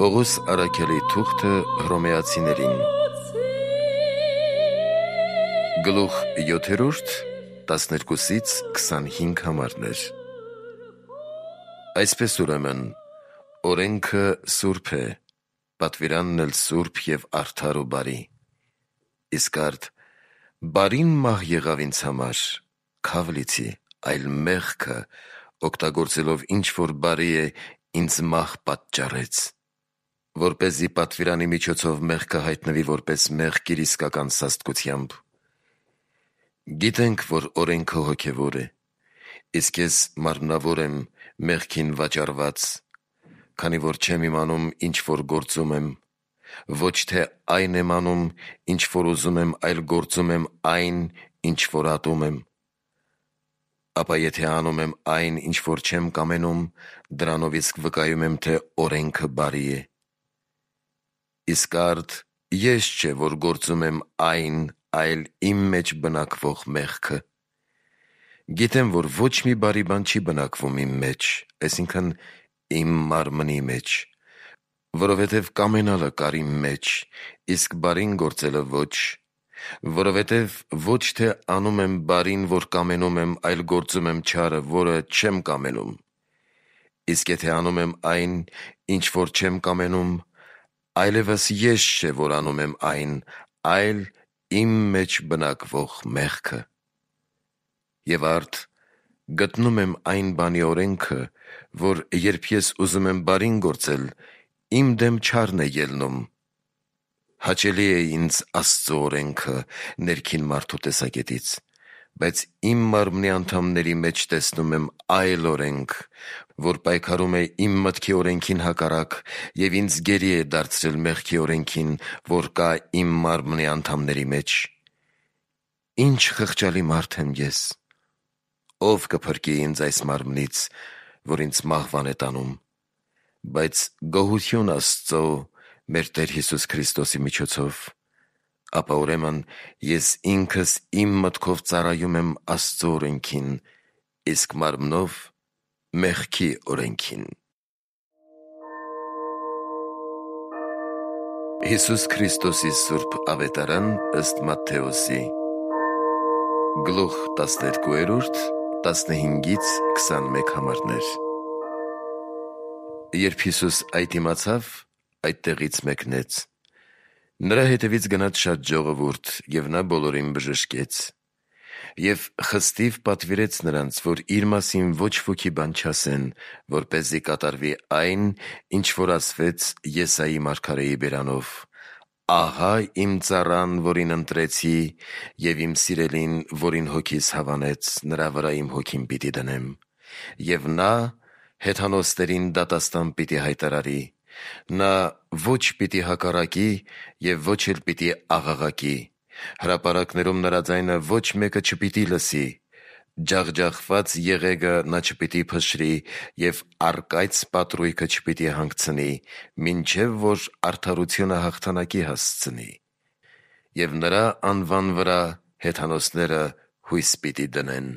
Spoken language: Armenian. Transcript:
Պողոս առաքյալի թուղթը հռոմեացիներին Գլուխ 7, 12-25 համարներ։ Այսպես ուրեմն, օրենքը սուրբ է, պատվիրանն էլ սուրբ և արդար ու բարի։ Իսկ արդ բարին մահ եղավ ինձ համար, քավ լիցի, այլ մեղքը օգտագործելով ինչ որ բարի է, ինձ մահ պատճառեց, որպեսզի պատվիրանի միջոցով մեղքը հայտնվի որպես մեղք իր իսկական սաստկությամբ։ Գիտենք, որ օրենքը հոգևոր է, իսկ ես մարմնավոր եմ մեղքին վաճառված, քանի որ չեմ իմանում ինչ որ գործում եմ, ոչ թե այն եմ անում, ինչ որ ուզում եմ, այլ գործում եմ այն, ինչ որ ատում եմ։ Ապա եթե անում եմ այն, ինչ որ չեմ կամենում, դրանով իսկ վկայում եմ, թե օրենքը բարի է։ Իսկ արդ ես չէ, որ գործում եմ այն, այլ իմ մեջ բնակվող մեղքը։ Գիտեմ, որ ոչ մի բարի բան չի բնակվում իմ մեջ, այսինքն իմ մարմնի մեջ, որովհետև կամենալը կար իմ մեջ, իսկ բարին գործելը ոչ, որովհետև ոչ թե անում եմ բարին, որ կամենում եմ, այլ գործում եմ չարը, որը չեմ կամենում։ Իսկ եթե անում եմ այն, ինչ որ չեմ կամենում, այլևս ես չէ, որ անում եմ այն, այլ իմ մեջ բնակվող մեղքը։ Եվ արդ գտնում եմ այն բանի օրենքը, որ երբ ես ուզում եմ բարին գործել, իմ դեմ չարն է ելնում։ Հաճելի է ինձ Աստծո օրենքը ներքին մարդու տեսակետից, բայց իմ մարմնի անդամների մեջ տեսնում եմ այլ օրենք, որ պայքարում է իմ մտքի օրենքին հակառակ և ինձ գերի է դարձրել մեղքի օրենքին, որ կա իմ մարմնի անդամների մեջ։ Ինչ խղճալի մարդ եմ ես։ Ո՞վ կփրկի ինձ այս մարմնից, որ ինձ մահվան է տանում։ Բայց գոհություն Աստծո մեր Տեր Հիսուս Քրիստոսի միջոցով։ Ապա ուրեմն ես ինքս իմ մտքով ծառայում եմ Աստծո օրենքին, իսկ մարմնով մեղքի օրենքին։ Հիսուս Քրիստոսի սուրբ ավետարան ըստ Մատթեոսի Գլուխ 12, 15-21 համարներ։ Երբ Հիսուս այդ իմացավ, այդտեղից մեկնեց։ Նրա հետևից գնաց շատ ժողովուրդ, և նա բոլորին բժշկեց։ Եվ խստիվ պատվիրեց նրանց, որ իր մասին ոչ ոքի բան չասեն, որպեսզի կատարվի այն, ինչ որ ասվեց Եսայի մարգարեի բերանով. «Ահա իմ ծառան, որին ընտրեցի, և իմ սիրելին, որին հոգիս հավանեց, նրա վրա իմ հոգին պիտի դնեմ, և նա հեթանոսներին դատաստան պիտի հայտարարի. նա ոչ պիտի հակառակի և ոչ էլ պիտի աղաղակի, հրապարակներում նրա ձայնը ոչ մեկը չպիտի լսի, ջախջախված եղեգը նա չպիտի փշրի և առկայծ պատրույգը չպիտի հանգցնի, մինչև որ արդարությունը հաղթանակի հասցնի։ Եվ նրա անվան վրա հեթանոսները հույս պիտի դնեն»։